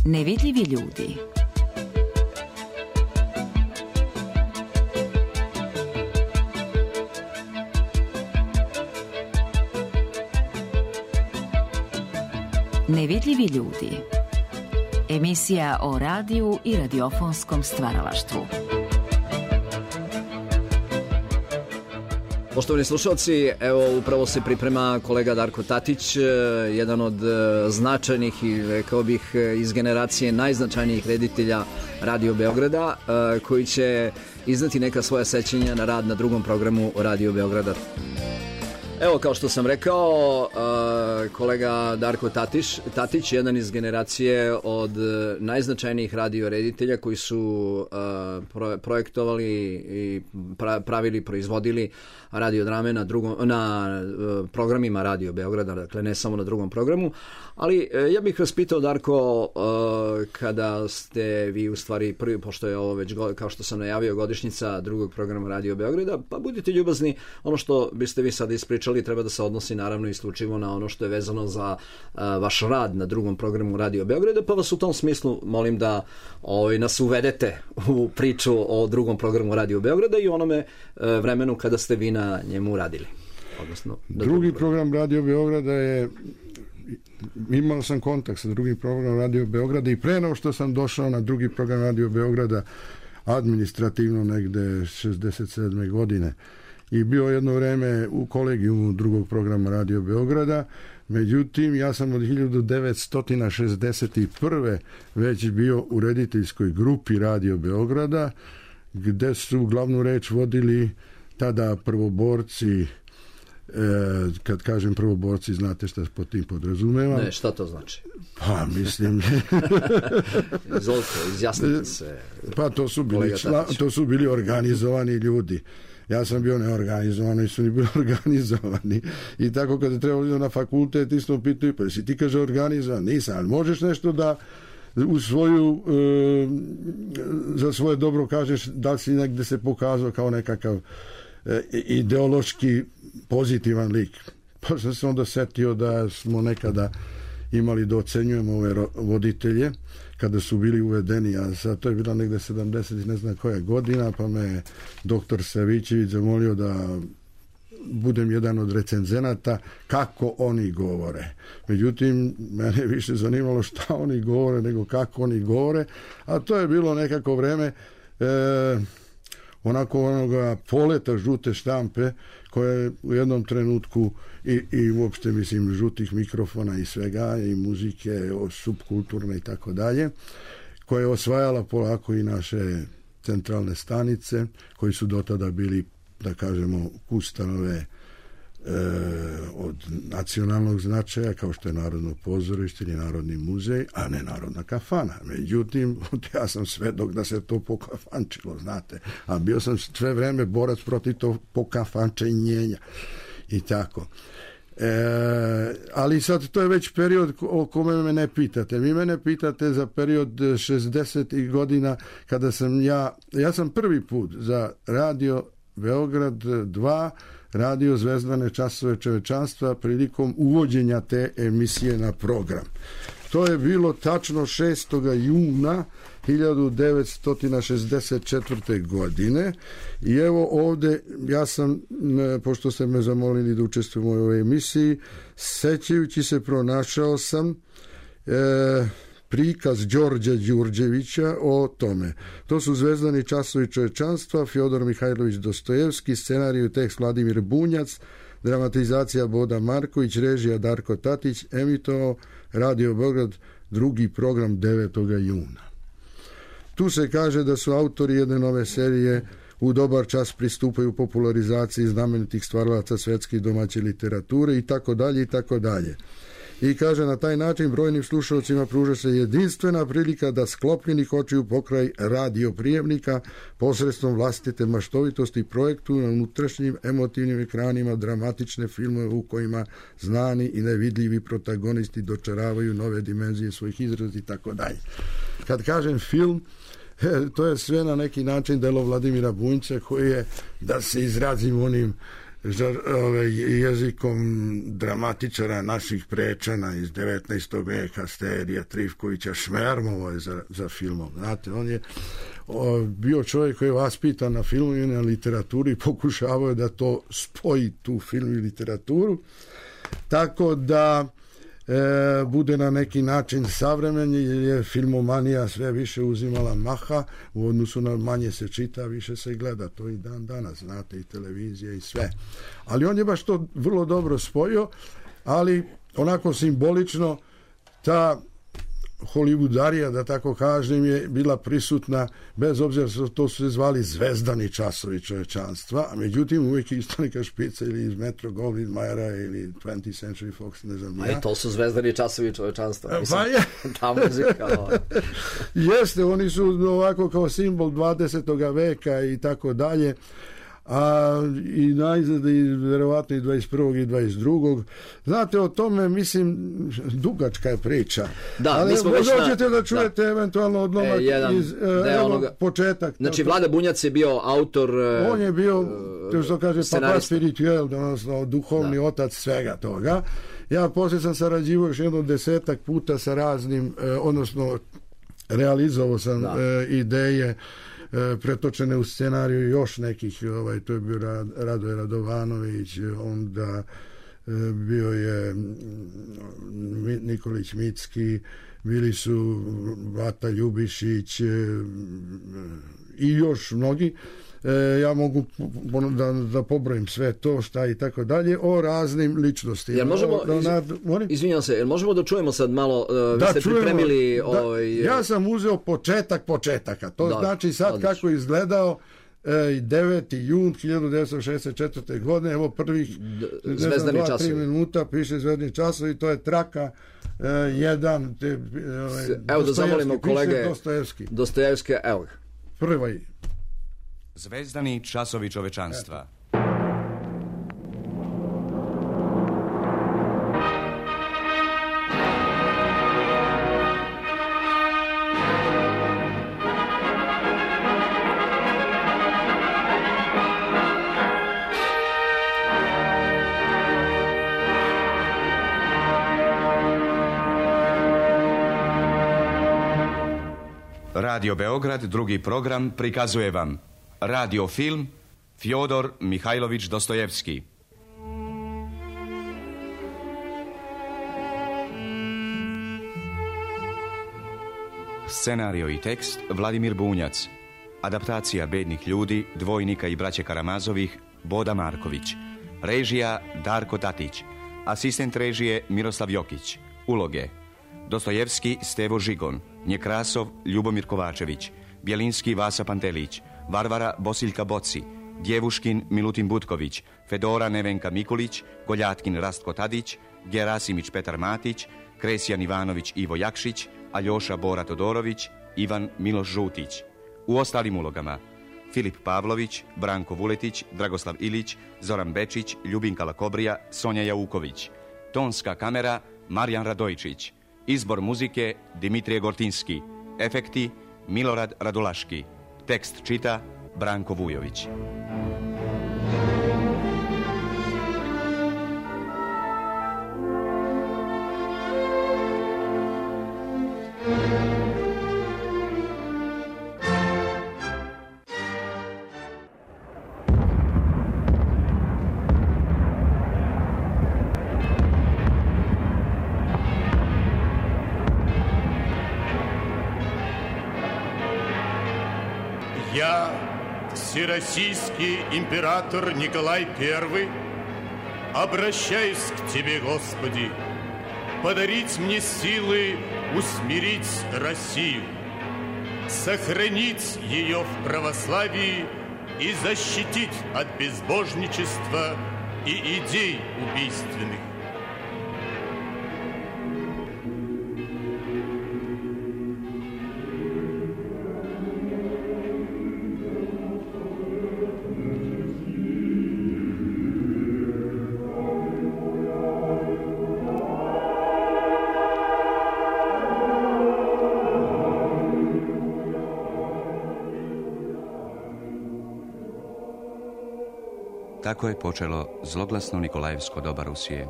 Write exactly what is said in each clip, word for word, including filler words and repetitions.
Nevidljivi ljudi. Nevidljivi ljudi. Emisija o radiju i radiofonskom stvaralaštvu. Poštovani slušalci, evo upravo se priprema kolega Darko Tatić, jedan od značajnih i rekao bih iz generacije najznačajnijih reditelja Radio Beograda, koji će izneti neka svoja sećanja na rad na drugom programu Radio Beograda. Evo, kao što sam rekao, kolega Darko Tatić, Tatić, jedan iz generacije od najznačajnijih radio reditelja koji su projektovali i pravili, proizvodili radiodrame na, drugom, na programima Radio Beograda, dakle ne samo na drugom programu, ali ja bih vas pitao, Darko, kada ste vi u stvari prvi, pošto je ovo već, kao što sam najavio, godišnjica drugog programa Radio Beograda, pa budite ljubazni, ono što biste vi sad ispričali treba da se odnosi naravno isključivo na ono što je vezano za a, vaš rad na drugom programu Radio Beograda, pa vas u tom smislu molim da ovaj, nas uvedete u priču o drugom programu Radio Beograda i onome a, vremenu kada ste vi na njemu radili. Odnosno, drugi program Radio Beograda je, imao sam kontakt sa drugim programom Radio Beograda i pre nego što sam došao na drugi program Radio Beograda administrativno negde šezdeset sedme godine i bio jedno vreme u kolegijumu drugog programa Radio Beograda. Međutim, ja sam od hiljadu devetsto šezdeset prve već bio u rediteljskoj grupi Radio Beograda, gde su glavnu reč vodili tada prvoborci. E, kad kažem prvoborci, znate šta pod tim podrazumevam? Ne, šta to znači? Pa, mislim... Izvolite, izjasnite se. Pa, to su, bili čla, to su bili organizovani ljudi. Ja sam bio neorganizovan, i su ni bili organizovani. I tako kada trebalo na fakultet, isto pitaju, pa si ti kaže organizovan? Nisam, ali možeš nešto da u svoju, e, za svoje dobro kažeš, da li si negde se pokazao kao nekakav e, ideološki pozitivan lik. Pa sam se onda setio da smo nekada imali da ocenjujemo ove voditelje kada su bili uvedeni, a sad to je bila negde sedamdeset ne znam koja godina, pa me doktor Savićević zamolio da budem jedan od recenzenata kako oni govore. Međutim, mene više zanimalo šta oni govore nego kako oni govore, a to je bilo nekako vreme e, onako onoga poleta žute štampe koje je u jednom trenutku i, i uopšte mislim žutih mikrofona i svega i muzike subkulturne i tako dalje, koja je osvajala polako i naše centralne stanice koji su do tada bili, da kažemo, ustanove e, od nacionalnog značaja kao što je Narodno pozorište ili Narodni muzej, a ne Narodna kafana. Međutim, ja sam svedok da se to pokafančilo, znate, a bio sam sve vreme borac protiv to pokafančenjenja i tako. E, ali sad to je već period o kome me ne pitate. Vi mene pitate za period šezdesetih godina kada sam ja, ja sam prvi put za Radio Beograd dva radio Zvezdane časove čovečanstva prilikom uvođenja te emisije na program. To je bilo tačno šestog juna hiljadu devetsto šezdeset četvrte. godine i evo ovde ja sam, pošto ste me zamolili da učestvujem u ovoj emisiji, sećajući se pronašao sam e, prikaz Đorđa Đurđevića o tome. To su Zvezdani časovi čovečanstva, Fjodor Mihajlović Dostojevski, scenarij i tekst Vladimir Bunjac, dramatizacija Boda Marković, režija Darko Tatić, emitovao Radio Beograd, drugi program devetog juna. Tu se kaže da su autori jedne nove serije u dobar čas pristupaju popularizaciji znamenitih stvaralaca svetske i domaće literature i tako dalje i tako dalje. I kaže, na taj način brojnim slušalcima pruža se jedinstvena prilika da sklopljenih očiju pokraj radio prijemnika posredstvom vlastite maštovitosti projektu na unutrašnjim emotivnim ekranima dramatične filmove u kojima znani i nevidljivi protagonisti dočaravaju nove dimenzije svojih izraza i tako dalje. Kad kažem film, to je sve na neki način delo Vladimira Bunjca koji je, da se izrazim onim jezikom dramatičara naših Prečana iz devetnaestog veka, Sterija Trifkovića, Šmermovo je za, za filmom. Znate, on je o, bio čovjek koji je vaspitan na filmu i na literaturi i pokušavao je da to spoji, tu film i literaturu, tako da E, bude na neki način savremen, jer je filmomanija sve više uzimala maha u odnosu na manje se čita, više se gleda, to i dan danas, znate, i televizija i sve. Ali on je baš to vrlo dobro spojio, ali onako simbolično ta Hollywoodarija, da tako kažem, je bila prisutna, bez obzira što to su se zvali zvezdani časovi čovečanstva, a međutim uvijek je isto neka špica ili iz Metro Goldwyn Mayera ili twentieth Century Fox, ne znam ja. A i to su zvezdani časovi čovečanstva. Mislim, pa je. Ta muzika. Jeste, oni su ovako kao simbol dvadesetog veka i tako dalje. A i najzad i verovatno i dvadeset prvog i dvadeset drugog Znate, o tome, mislim, dugačka je priča. Da, ali mi smo već na... hoćete da čujete da. eventualno odlomak e, jedan, iz evo, onoga... početak. Znači, Vlada Bunjac je bio autor... On je bio, to što kaže, papa spirituel, odnosno duhovni da. otac svega toga. Ja poslije sam sarađivao još jedno desetak puta sa raznim, odnosno realizovao sam da. ideje pretočene u scenariju još nekih, ovaj, to je bio Radoje Radovanović, onda bio je Nikolić Micki, bili su Vata Ljubišić i još mnogi. Ja mogu da, da pobrojim sve to šta i tako dalje o raznim ličnostima. Jel možemo, o, da, izvinjam se, jel možemo da čujemo sad malo, uh, vi da, ste čujemo, pripremili... Da, ovaj... Ja sam uzeo početak početaka, to da, znači sad odlično. Kako je izgledao deveti jun hiljadu devetsto šezdeset četvrte godine, evo prvih zvezdani časovi. tri minuta piše zvezdani časovi, to je traka e, jedan te, e, evo da zamolimo kolege Dostojevski. Dostojevski, evo ga. Prvi. Zvezdani časovi čovečanstva. Radio Beograd, drugi program, prikazuje vam radio film Fjodor Mihajlović Dostojevski. Scenario i tekst Vladimir Bunjac. Adaptacija Bednih ljudi, Dvojnika i braće Karamazovih Boda Marković. Režija Darko Tatić. Asistent režije Miroslav Jokić. Uloge: Dostojevski Stevo Žigon, Njekrasov Ljubomir Kovačević, Bjelinski Vasa Pantelić, Varvara Bosiljka Boci, Djevuškin Milutin Butković, Fedora Nevenka Mikulić, Goljatkin Rastko Tadić, Gerasimić Petar Matić, Kresjan Ivanović Ivo Jakšić, Aljoša Bora Todorović, Ivan Miloš Žutić. U ostalim ulogama: Filip Pavlović, Branko Vuletić, Dragoslav Ilić, Zoran Bečić, Ljubinka Lakobrija, Sonja Jauković. Tonska kamera Marijan Radojčić. Izbor muzike Dimitrije Gortinski. Efekti Milorad Radulaški. Tekst čita Branko Vujović. Я, всероссийский император Николай Первый, обращаюсь к Тебе, Господи, подарить мне силы усмирить Россию, сохранить ее в православии и защитить от безбожничества и идей убийственных. Tako je počelo zloglasno Nikolajevsko doba Rusije.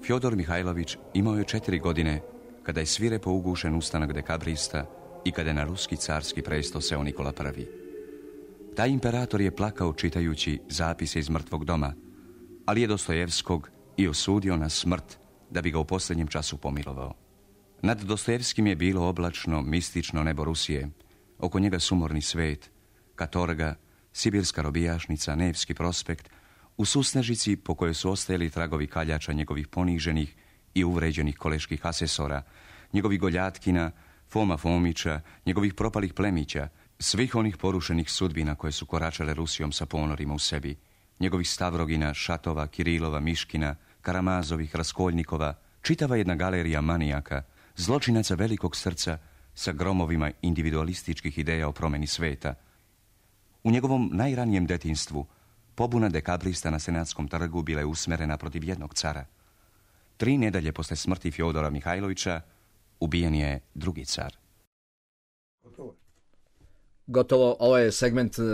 Fjodor Mihajlović imao je četiri godine kada je svirepo ugušen ustanak dekabrista i kada je na ruski carski presto seo Nikola Prvi. Taj imperator je plakao čitajući zapise iz mrtvog doma, ali je Dostojevskog i osudio na smrt da bi ga u posljednjem času pomilovao. Nad Dostojevskim je bilo oblačno, mistično nebo Rusije, oko njega sumorni svet, katorga, sibirska robijašnica, Nevski prospekt, u susnežici po kojoj su ostajali tragovi kaljača njegovih poniženih i uvređenih koleških asesora, njegovih Goljatkina, Foma Fomića, njegovih propalih plemića, svih onih porušenih sudbina koje su koračale Rusijom sa ponorima u sebi, njegovih Stavrogina, Šatova, Kirilova, Miškina, Karamazovih, Raskoljnikova, čitava jedna galerija manijaka, zločinaca velikog srca sa gromovima individualističkih ideja o promjeni sveta. U njegovom najranijem detinjstvu pobuna dekabrista na Senatskom trgu bila je usmerena protiv jednog cara. Tri nedalje posle smrti Fjodora Mihajlovića ubijen je drugi car. Gotovo, ovo je segment uh,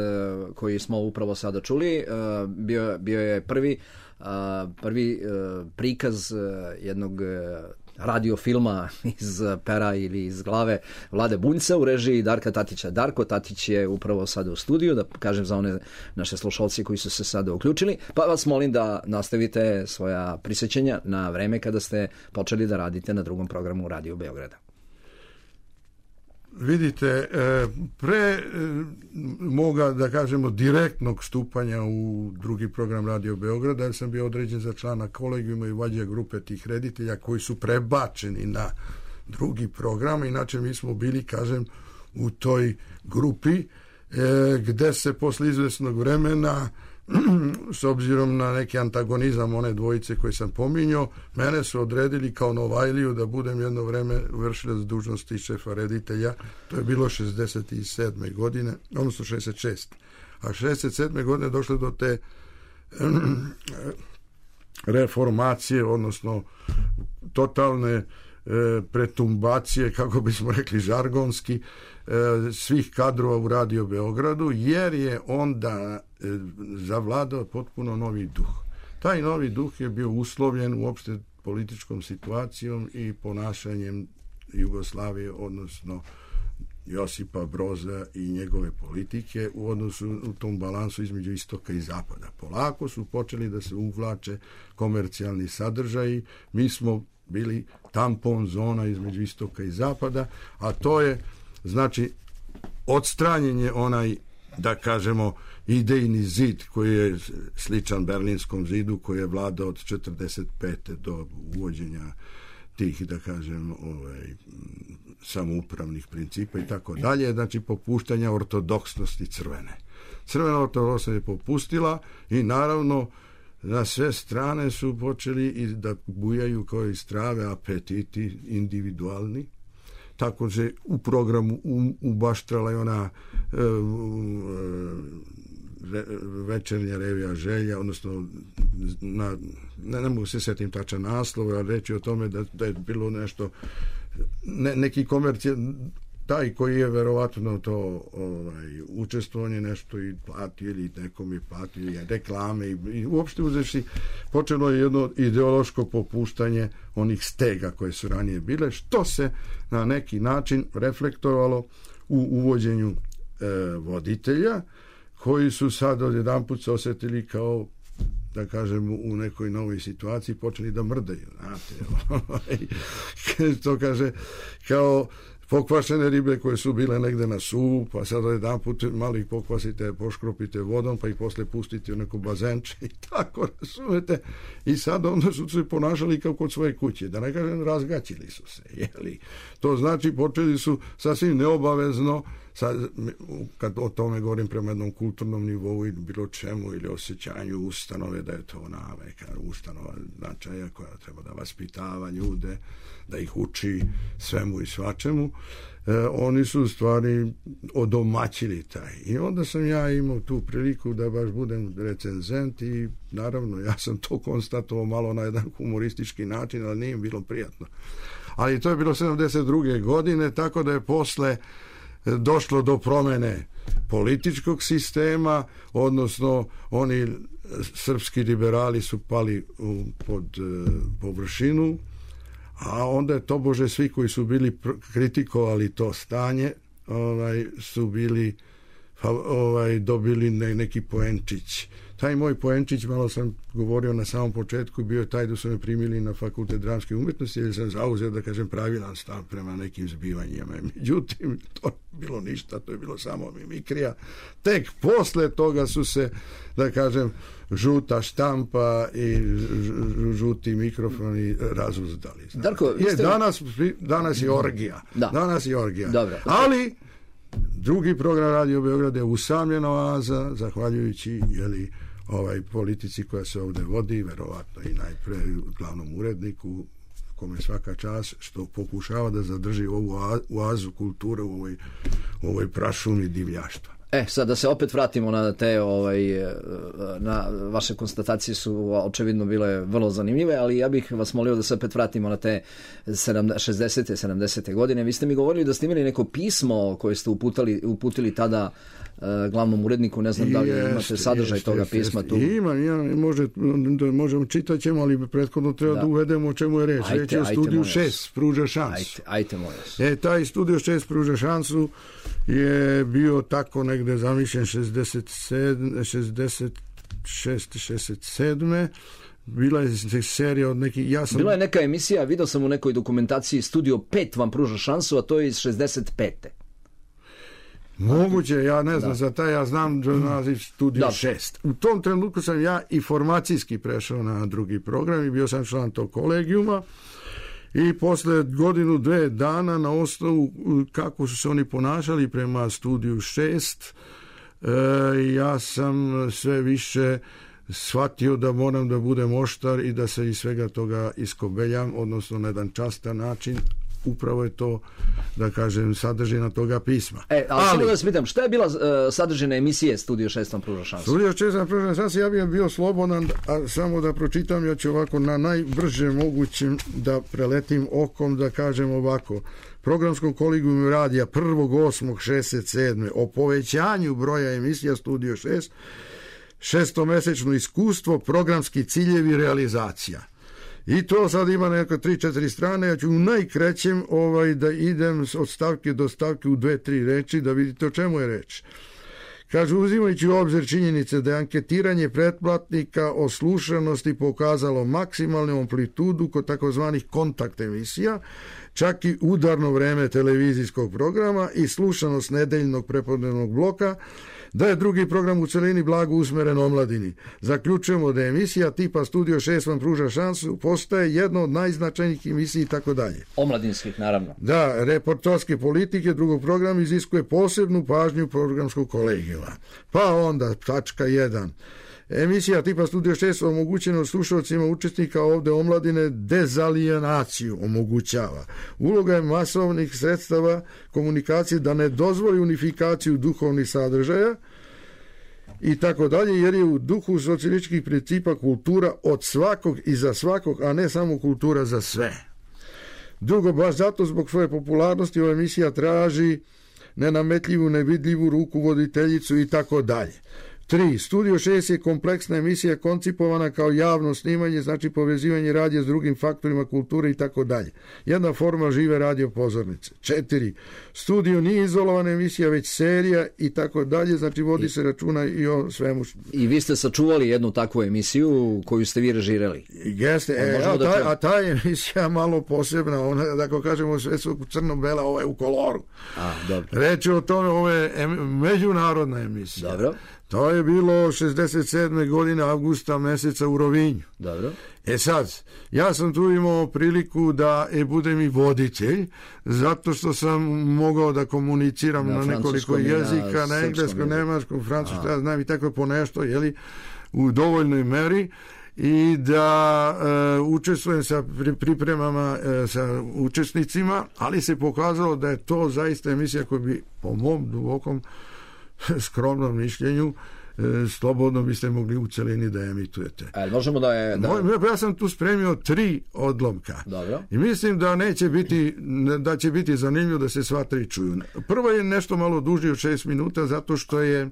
koji smo upravo sada čuli. Uh, bio, bio je prvi, uh, prvi uh, prikaz uh, jednog uh, radiofilma iz pera ili iz glave Vlade Bunjca u režiji Darka Tatića. Darko Tatić je upravo sada u studiju, da kažem za one naše slušalci koji su se sada uključili, pa vas molim da nastavite svoja prisjećanja na vreme kada ste počeli da radite na drugom programu Radio Beograda. Vidite, pre moga, da kažemo, direktnog stupanja u drugi program Radio Beograda, jer sam bio određen za člana kolegijuma i vođa grupe tih reditelja koji su prebačeni na drugi program. Inače, mi smo bili, kažem, u toj grupi gde se posle izvesnog vremena, s obzirom na neki antagonizam one dvojice koje sam pominjao, mene su odredili kao Novajliju da budem jedno vreme vršilac dužnosti šefa reditelja. To je bilo šezdeset sedme godine, odnosno šezdeset šeste. A šezdeset sedme godine došlo do te reformacije, odnosno totalne pretumbacije, kako bismo rekli žargonski, svih kadrova u Radio Beogradu, jer je onda zavladao potpuno novi duh. Taj novi duh je bio uslovljen uopšte političkom situacijom i ponašanjem Jugoslavije, odnosno Josipa Broza i njegove politike u odnosu u tom balansu između istoka i zapada. Polako su počeli da se uvlače komercijalni sadržaji. Mi smo bili tampon zona između istoka i zapada, a to je, znači, odstranjenje onaj, da kažemo, idejni zid koji je sličan Berlinskom zidu, koji je vladao od četrdeset pete do uvođenja tih, da kažem, ovaj, samoupravnih principa i tako dalje, znači popuštanja ortodoksnosti crvene. Crvena ortodoksnost je popustila i naravno na sve strane su počeli i da bujaju kao i strave apetiti individualni. Tako se u programu ubaštrala i ona e, e, večernja revija želja, odnosno na, ne, ne mogu se sjetim tačan naslov, ali reći o tome da, da je bilo nešto, ne, neki komercijal, taj koji je verovatno to ovaj, učestvovanje nešto i platio ili nekom je platio i reklame i, i uopšte uzevši počelo je jedno ideološko popuštanje onih stega koje su ranije bile, što se na neki način reflektovalo u uvođenju e, voditelja koji su sad odjedanput se osjetili kao, da kažem, u nekoj novoj situaciji počeli da mrdaju, znate, to kaže kao pokvašene ribe koje su bile negde na suvu, pa sad jedan put malo ih pokvasite, poškropite vodom, pa ih posle pustite u neko bazenče i tako, razumete, i sad onda su se ponašali kao kod svoje kuće, da ne kažem, razgaćili su se, jeli. To znači, počeli su sasvim neobavezno, sad, kad o tome govorim prema jednom kulturnom nivou ili bilo čemu, ili osjećanju ustanove, da je to ona neka ustanova značaja koja treba da vaspitava ljude, da ih uči svemu i svačemu, e, oni su u stvari odomaćili taj. I onda sam ja imao tu priliku da baš budem recenzent i naravno ja sam to konstatovao malo na jedan humoristički način, ali nije bilo prijatno. Ali to je bilo sedamdeset druge godine, tako da je posle došlo do promene političkog sistema, odnosno oni srpski liberali su pali u, pod uh, površinu, a onda je tobože svi koji su bili kritikovali to stanje ovaj, su bili ovaj, dobili ne, neki poenčić. Taj moj poenčić, malo sam govorio na samom početku, bio je taj da su me primili na Fakultet dramske umjetnosti jer sam zauzeo, da kažem, pravilan stav prema nekim zbivanjima. Međutim, to je bilo ništa, to je bilo samo mimikrija. Tek posle toga su se, da kažem, žuta štampa i žuti mikrofoni razuzdali. Darko, je, ste... danas, danas je orgija. Da. Danas je orgija. Dobro. Ali drugi program Radio Beograd je usamljena oaza, zahvaljujući jeli, ovaj politici koja se ovdje vodi, verovatno i najpre glavnom uredniku, kome svaka čast, što pokušava da zadrži ovu oazu kulture u ovoj, u ovoj prašumi divljaštva. E, sad da se opet vratimo na te, ovaj, na vaše konstatacije su očevidno bile vrlo zanimljive, ali ja bih vas molio da se opet vratimo na te šezdesete sedamdesete godine. Vi ste mi govorili da ste imali neko pismo koje ste uputili, uputili tada uh, glavnom uredniku, ne znam da li imate jest, sadržaj jest, toga jest, pisma tu. Imam, imam, može, možemo čitat ćemo, ali prethodno treba da, da uvedemo o čemu je reč. Reč je o studiju šest, pruža šansu. Ajte, ajte, molim vas. E, taj studio šest pruža šansu je bio tako negde zamišljen šezdeset sedam, šezdeset šest, šezdeset sedam. Bila je serija od nekih... Ja sam... Bila je neka emisija, vidio sam u nekoj dokumentaciji, Studio pet vam pruža šansu, a to je iz šezdeset pete. Moguće, ja ne znam da. Za taj, ja znam naziv Studio šest. U tom trenutku sam ja i formacijski prešao na drugi program i bio sam član tog kolegijuma. I posle godinu, dve dana na osnovu kako su se oni ponašali prema Studiju šest, e, ja sam sve više shvatio da moram da budem oštar i da se iz svega toga iskobeljam, odnosno na jedan častan način. Upravo je to, da kažem, sadržina toga pisma. E, ali, ali samo da vas pitam, šta je bila uh, sadržina emisije Studio šest vam pruža šansu? Studio šest vam pruža šansu, ja bih bio slobodan, a samo da pročitam, ja ću ovako na najbrže mogućem da preletim okom, da kažem ovako. Programskom kolegijumu radija prvog osmog šezdeset sedme o povećanju broja emisija Studio šest, šestomesečno iskustvo, programski ciljevi, realizacija. I to sad ima neka tri četiri strane, ja ću u najkrećem ovaj, da idem od stavke do stavke u dve tri reči, da vidite o čemu je reč. Kaže, uzimajući u obzir činjenice da je anketiranje pretplatnika o slušanosti pokazalo maksimalnu amplitudu kod takozvanih kontakt emisija, čak i udarno vreme televizijskog programa i slušanost nedeljnog prepodnevnog bloka, da je drugi program u celini blago usmeren omladini. Zaključujemo da je emisija tipa Studio šest vam pruža šansu, postaje jedna od najznačajnijih emisija i tako dalje. Omladinskih, naravno. Da, reporterske politike drugog programa iziskuje posebnu pažnju programskog kolegijuma. Pa onda, tačka jedan. Emisija tipa Studio šest omogućeno slušalcima učesnika ovde omladine dezalijenaciju omogućava. Uloga je masovnih sredstava komunikacije da ne dozvoli unifikaciju duhovnih sadržaja i tako dalje, jer je u duhu socijalističkih principa kultura od svakog i za svakog, a ne samo kultura za sve. Drugo, baš zato zbog svoje popularnosti ova emisija traži nenametljivu, nevidljivu rukovoditeljicu i tako dalje. Tri. Studio šest je kompleksna emisija koncipovana kao javno snimanje, znači povezivanje radija s drugim faktorima kulture i tako dalje. Jedna forma žive radio pozornice. Četiri. Studio nije izolovana emisija, već serija i tako dalje, znači vodi I, se računa i o svemu. I vi ste sačuvali jednu takvu emisiju koju ste vi režirali. Jeste, e, a, taj, a ta emisija malo posebna, ona, da ko kažemo, sve su crno-bela, ovo je u koloru. A, dobro. Reč o tome, ovo je em, međunarodna emisija. Dobro. To je bilo šezdeset sedme godine avgusta meseca u Rovinju. Dobro. E sad, ja sam tu imao priliku da e, budem i voditelj, zato što sam mogao da komuniciram na, na nekoliko jezika, na, na engleskom, nemačkom, francuskom, ja znam i tako po nešto, jeli, u dovoljnoj meri, i da e, učestvujem sa pripremama e, sa učesnicima, ali se pokazalo da je to zaista emisija koja bi po mom dubokom skromnom mišljenju slobodno biste mogli u celini da emitujete. E, možemo da je... Da... Moj, ja sam tu spremio tri odlomka. Dobro. I mislim da neće biti, da će biti zanimljivo da se sva tri čuju. Prvo je nešto malo duži od šest minuta, zato što je...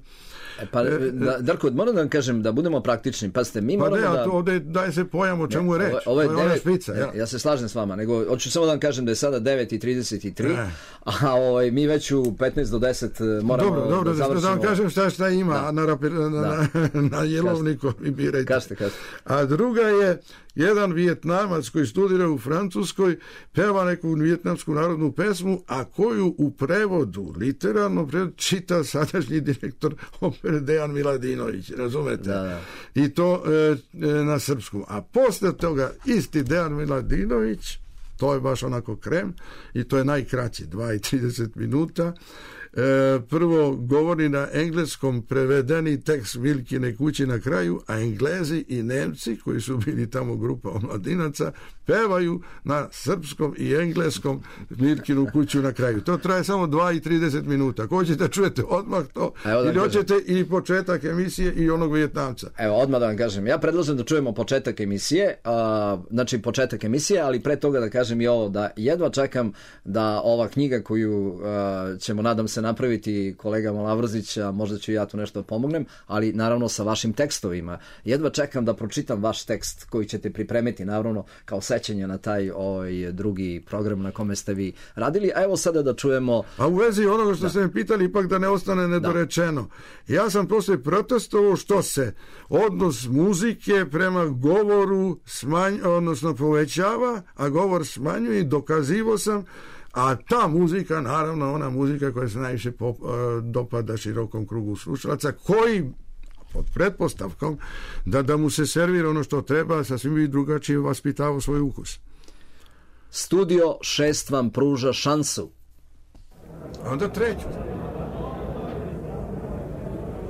E, pa, da, Darko, moram da vam kažem da budemo praktični. Pazite, mi pa moramo ne, da... Pa ovdje daje se pojam o čemu je reč. Ovo je devet, špica, ja. ja se slažem s vama, nego hoću samo da vam kažem da je sada devet i trideset tri, e. a ovaj, mi već u petnaest do deset moramo dobro, dobro, da završimo. Da vam kažem šta, šta ima da. na, na, na, na jelovniku i birajte. Kaste, kaste. A druga je jedan Vijetnamac koji studira u Francuskoj, peva neku vijetnamsku narodnu pesmu, a koju u prevodu, literalno prevodu, čita sadašnji direktor opere Dejan Miladinović, razumete? Da, da. I to e, e, na srpskom. A posle toga isti Dejan Miladinović, to je baš onako krem, i to je najkraći, dva i trideset minuta. E, prvo govori na engleskom prevedeni tekst Milkine kući na kraju, a Englezi i Nemci koji su bili tamo grupa omladinaca pevaju na srpskom i engleskom Milkinu kuću na kraju. To traje samo dva i trideset minuta. Ako hoćete čujete odmah to, ili hoćete i početak emisije i onog Vijetnamca. Evo, odmah da vam kažem, ja predlažem da čujemo početak emisije, a, znači početak emisije, ali pre toga da kažem i ovo, da jedva čekam da ova knjiga koju a, ćemo, nadam se, napraviti kolega Malavrozić, a možda ću ja tu nešto pomognem, ali naravno sa vašim tekstovima. Jedva čekam da pročitam vaš tekst koji ćete pripremiti, naravno, kao sećanje na taj ovaj drugi program na kome ste vi radili. A evo sada da čujemo... A u vezi onoga što da. ste me pitali, ipak da ne ostane nedorečeno. Da. Ja sam poslije protestovao što se odnos muzike prema govoru smanj, odnosno povećava, a govor smanjuje, i dokazivo sam. A ta muzika, naravno, ona muzika koja se najviše pop, dopada širokom krugu slušalaca, koji pod pretpostavkom da, da mu se servira ono što treba, sasvim bi drugačije vaspitavao svoj ukus. Studio šest vam pruža šansu. Onda treću.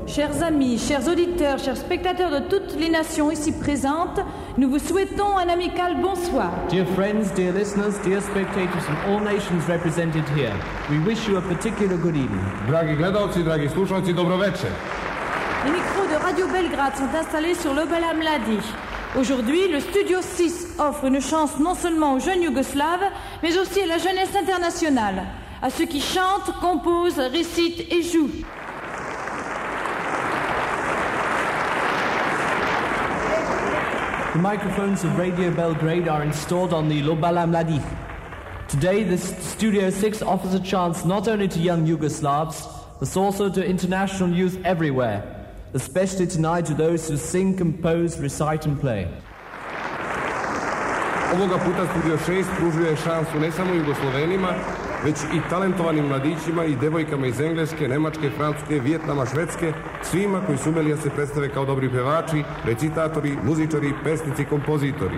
Chers amis, chers auditeurs, chers spectateurs de toutes les nations ici présentes, nous vous souhaitons un amical bonsoir. Dear friends, dear listeners, dear spectators from all nations represented here, we wish you a particular good evening. Dragi gledalci, dragi slušalci, dobroveče. Les micros de Radio Belgrade sont installés sur l'Obala Mladi. Aujourd'hui, le Studio six offre une chance non seulement aux jeunes yougoslaves, mais aussi à la jeunesse internationale, à ceux qui chantent, composent, récitent et jouent. The microphones of Radio Belgrade are installed on the Lobala Mladih. Today, the Studio six offers a chance not only to young Yugoslavs, but also to international youth everywhere, especially tonight to those who sing, compose, recite and play. Ovoga puta Studio šest pružuje šansu ne samo Jugoslovenima, već i talentovanim mladićima i devojkama iz Engleske, Nemačke, Francuske, Vijetnama, Švedske, svima koji su umeli da se predstave kao dobri pevači, recitatori, muzičari, pesnici, kompozitori.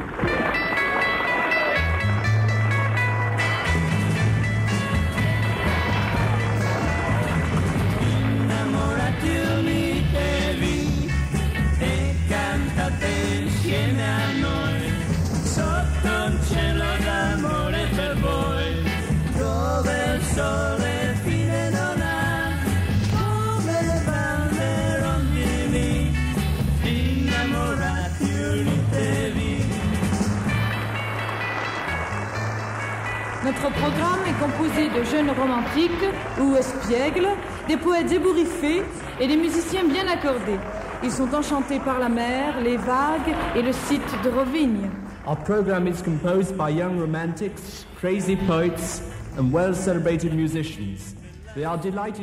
Notre programme est composé de jeunes romantiques ou espiègles, des poètes ébouriffés et des musiciens bien accordés. Ils sont enchantés par la mer, les vagues et le site de Rovinj. Our program is composed by young romantics, crazy poets and well-celebrated musicians.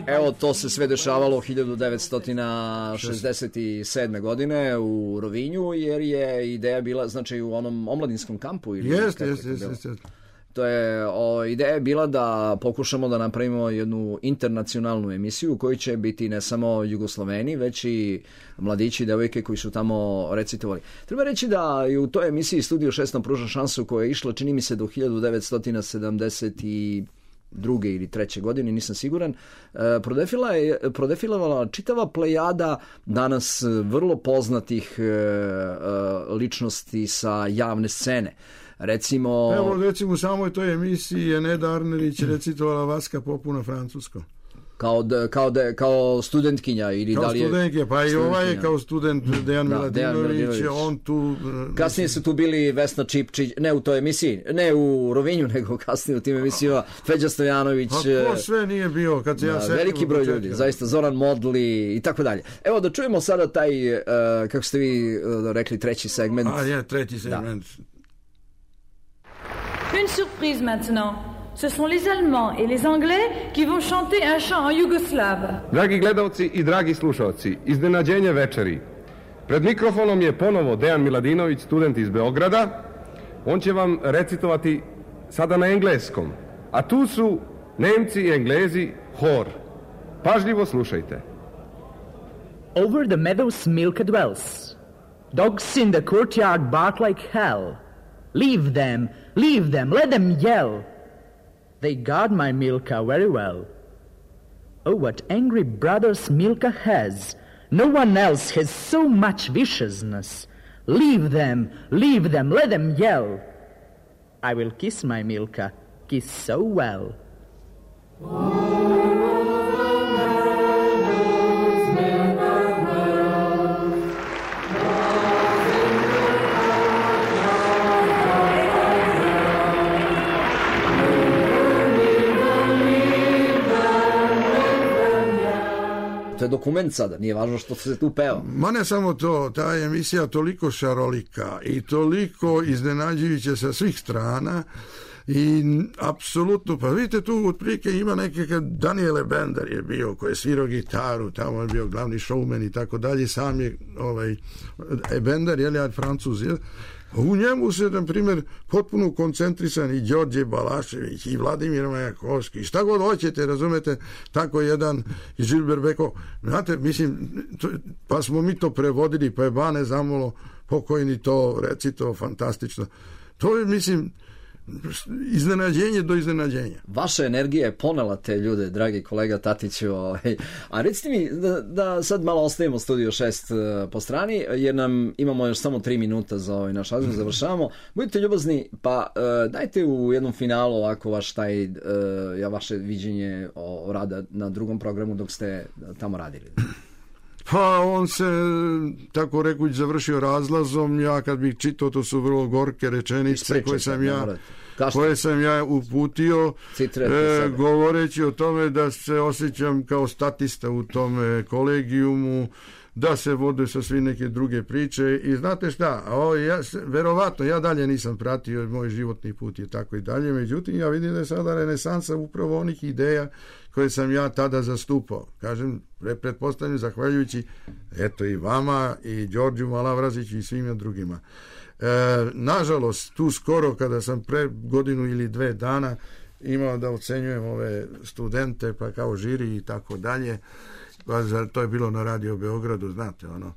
Evo, to se sve dešavalo hiljadu devetsto šezdeset sedme. godine u Rovinju, jer je ideja bila, znači, u onom omladinskom kampu. Jeste, jeste, jeste. To je, o, ideja je bila da pokušamo da napravimo jednu internacionalnu emisiju u kojoj će biti ne samo Jugosloveni, već i mladići i devojke koji su tamo recitovali. Treba reći da i u toj emisiji Studio šest nam pruža šansu koja je išla, čini mi se, do hiljadu devetsto sedamdeset druge ili treće godine, nisam siguran, prodefila je, prodefilovala čitava plejada danas vrlo poznatih ličnosti sa javne scene. Recimo... Evo, recimo u samoj toj emisiji je Neda Arnerić recitovala Vaska Popu na francuskom. Kao, da, kao, da, kao studentkinja ili kao da li je... Studentkinja, pa i ovaj je kao student Dejan da, Miladinović, on tu... Kasnije su tu bili Vesna Čipčić, ne u toj emisiji, ne u Rovinju, nego kasnije u tim emisijama, Feđa Stojanović... Pa ko sve nije bio, kad se da, ja setim... Veliki broj ljudi, zaista, Zoran Modli i tako dalje. Evo da čujemo sada taj, uh, kako ste vi uh, rekli, treći segment. A je, treći segment. Da. Une surprise maintenant. Ce sont les Allemands et les Anglais qui vont chanter un chant en yougoslave. Dragi gledalci i dragi slušalci, iznenađenje večeri. Pred mikrofonom je ponovo Dejan Miladinović, student iz Beograda. On će vam recitovati sada na engleskom. A tu su Nemci i Englezi, hor. Pažljivo slušajte. Over the meadows Milka dwells. Dogs in the courtyard bark like hell. Leave them, leave them, let them yell. They guard my Milka very well. Oh, what angry brothers Milka has. No one else has so much viciousness. Leave them, leave them, let them yell. I will kiss my Milka, kiss so well. To je dokument sada, nije važno što se tu peva. Ma ne samo to, ta emisija toliko šarolika i toliko iznenađujuća sa svih strana i apsolutno, pa vidite tu otprilike ima neke, Daniele Bender je bio koji je svirao gitaru, tamo je bio glavni showman i tako dalje, sam je ovaj, Bender, je li ja Francuz, je, u njemu se, na primjer, potpuno koncentrisan i Đorđe Balašević i Vladimir Majakovski i šta god hoćete, razumete, tako jedan i Žilber Beko, znate, mislim, to, pa smo mi to prevodili, pa je Bane Zamolo pokojni to recito, fantastično. To je, mislim, iznenađenje do iznenađenja. Vaša energija je ponela te ljude, dragi kolega Tatiću. Ovaj. A recite mi da, da sad malo ostavimo Studio šest po strani, jer nam imamo još samo tri minuta za ovaj naš razgovor, završavamo. Budite ljubazni, pa uh, dajte u jednom finalu ovako vaš taj, uh, ja vaše viđenje o, o rada na drugom programu dok ste tamo radili. Pa on se, tako rekuć, završio razlazom. Ja kad bih čitao, to su vrlo gorke rečenice koje sam ja koje sam ja uputio, e, govoreći o tome da se osjećam kao statista u tome kolegijumu, da se vode sa svi neke druge priče i znate šta, o, ja, verovatno ja dalje nisam pratio, moj životni put je tako i dalje, međutim ja vidim da je sada renesansa upravo onih ideja koje sam ja tada zastupao. Kažem, pretpostavljam, zahvaljujući eto i vama i Đorđu Malavraziću i svima drugima. E, nažalost, tu skoro kada sam pre godinu ili dve dana imao da ocenjujem ove studente pa kao žiri i tako dalje, to je bilo na Radio Beogradu, znate, ono,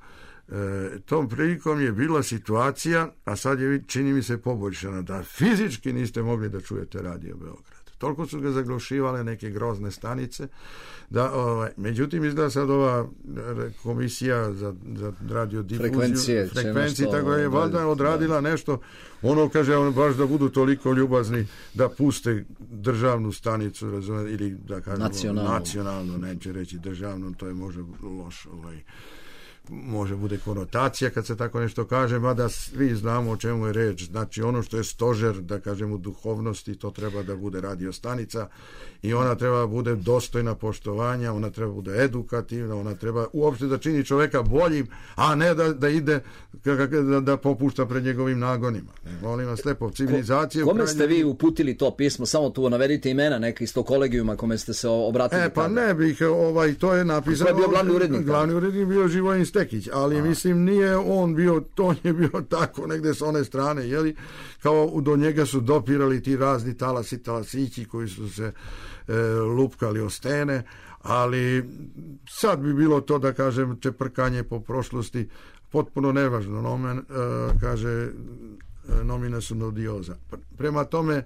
e, tom prilikom je bila situacija, a sad je, čini mi se, poboljšana, da fizički niste mogli da čujete Radio Beograd. Toliko su ga zaglušivale neke grozne stanice, da, ovaj, međutim, izgleda sad ova komisija za, za radiodifuziju, frekvencije, frekvencije tako je, valjda odradila da. nešto, ono kaže, ono, baš da budu toliko ljubazni da puste državnu stanicu, razumete, ili da kažemo nacionalno, nacionalno neće reći državno, to je možda loš, ovaj, može bude konotacija kad se tako nešto kaže, mada svi znamo o čemu je reč. Znači ono što je stožer, da kažemo, duhovnosti, to treba da bude radio stanica i ona treba da bude dostojna poštovanja, ona treba da bude edukativna, ona treba uopšte da čini čoveka boljim, a ne da, da ide da, da popušta pred njegovim nagonima. Molim vas lepo, civilizacije... Ko, kome ste vi uputili to pismo? Samo tu navedite imena neka iz tog kolegijuma kome ste se obratili. E, pa tada. Ne bih, ovaj, to je napisano... Ko je bio glavni urednik? Glavni urednik bio Živojin Stekić, ali a. mislim nije on bio, to je bio tako negde s one strane, jeli, kao do njega su dopirali ti razni talasi, talasići koji su se e, lupkali o stene, ali sad bi bilo to, da kažem, čeprkanje po prošlosti, potpuno nevažno. Nomen, e, kaže, nomina sum odiosa. Prema tome, e,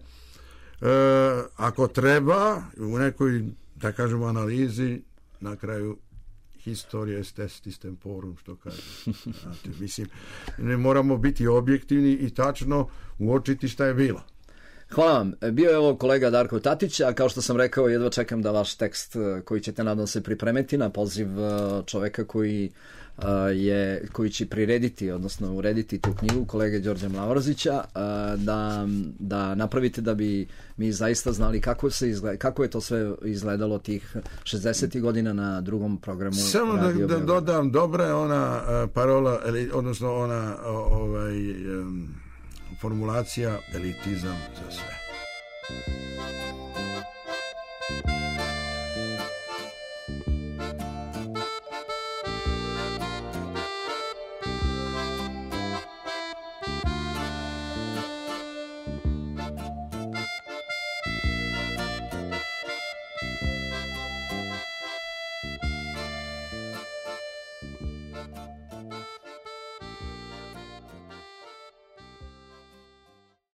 ako treba, u nekoj, da kažemo, analizi, na kraju historija est estis temporum, što kaže. Znate, mislim, ne moramo biti objektivni i tačno uočiti šta je bilo. Hvala vam. Bio je ovo kolega Darko Tatić, a kao što sam rekao, jedva čekam da vaš tekst koji ćete, nadam se, pripremiti na poziv čoveka koji je, koji će prirediti, odnosno urediti tu knjigu, kolege Đorđa Mlavarzića, da, da napravite da bi mi zaista znali kako, se izgleda, kako je to sve izgledalo tih šezdesetih godina na drugom programu. Samo da, da dodam, dobra je ona parola, odnosno ona ovaj, formulacija elitizam za sve.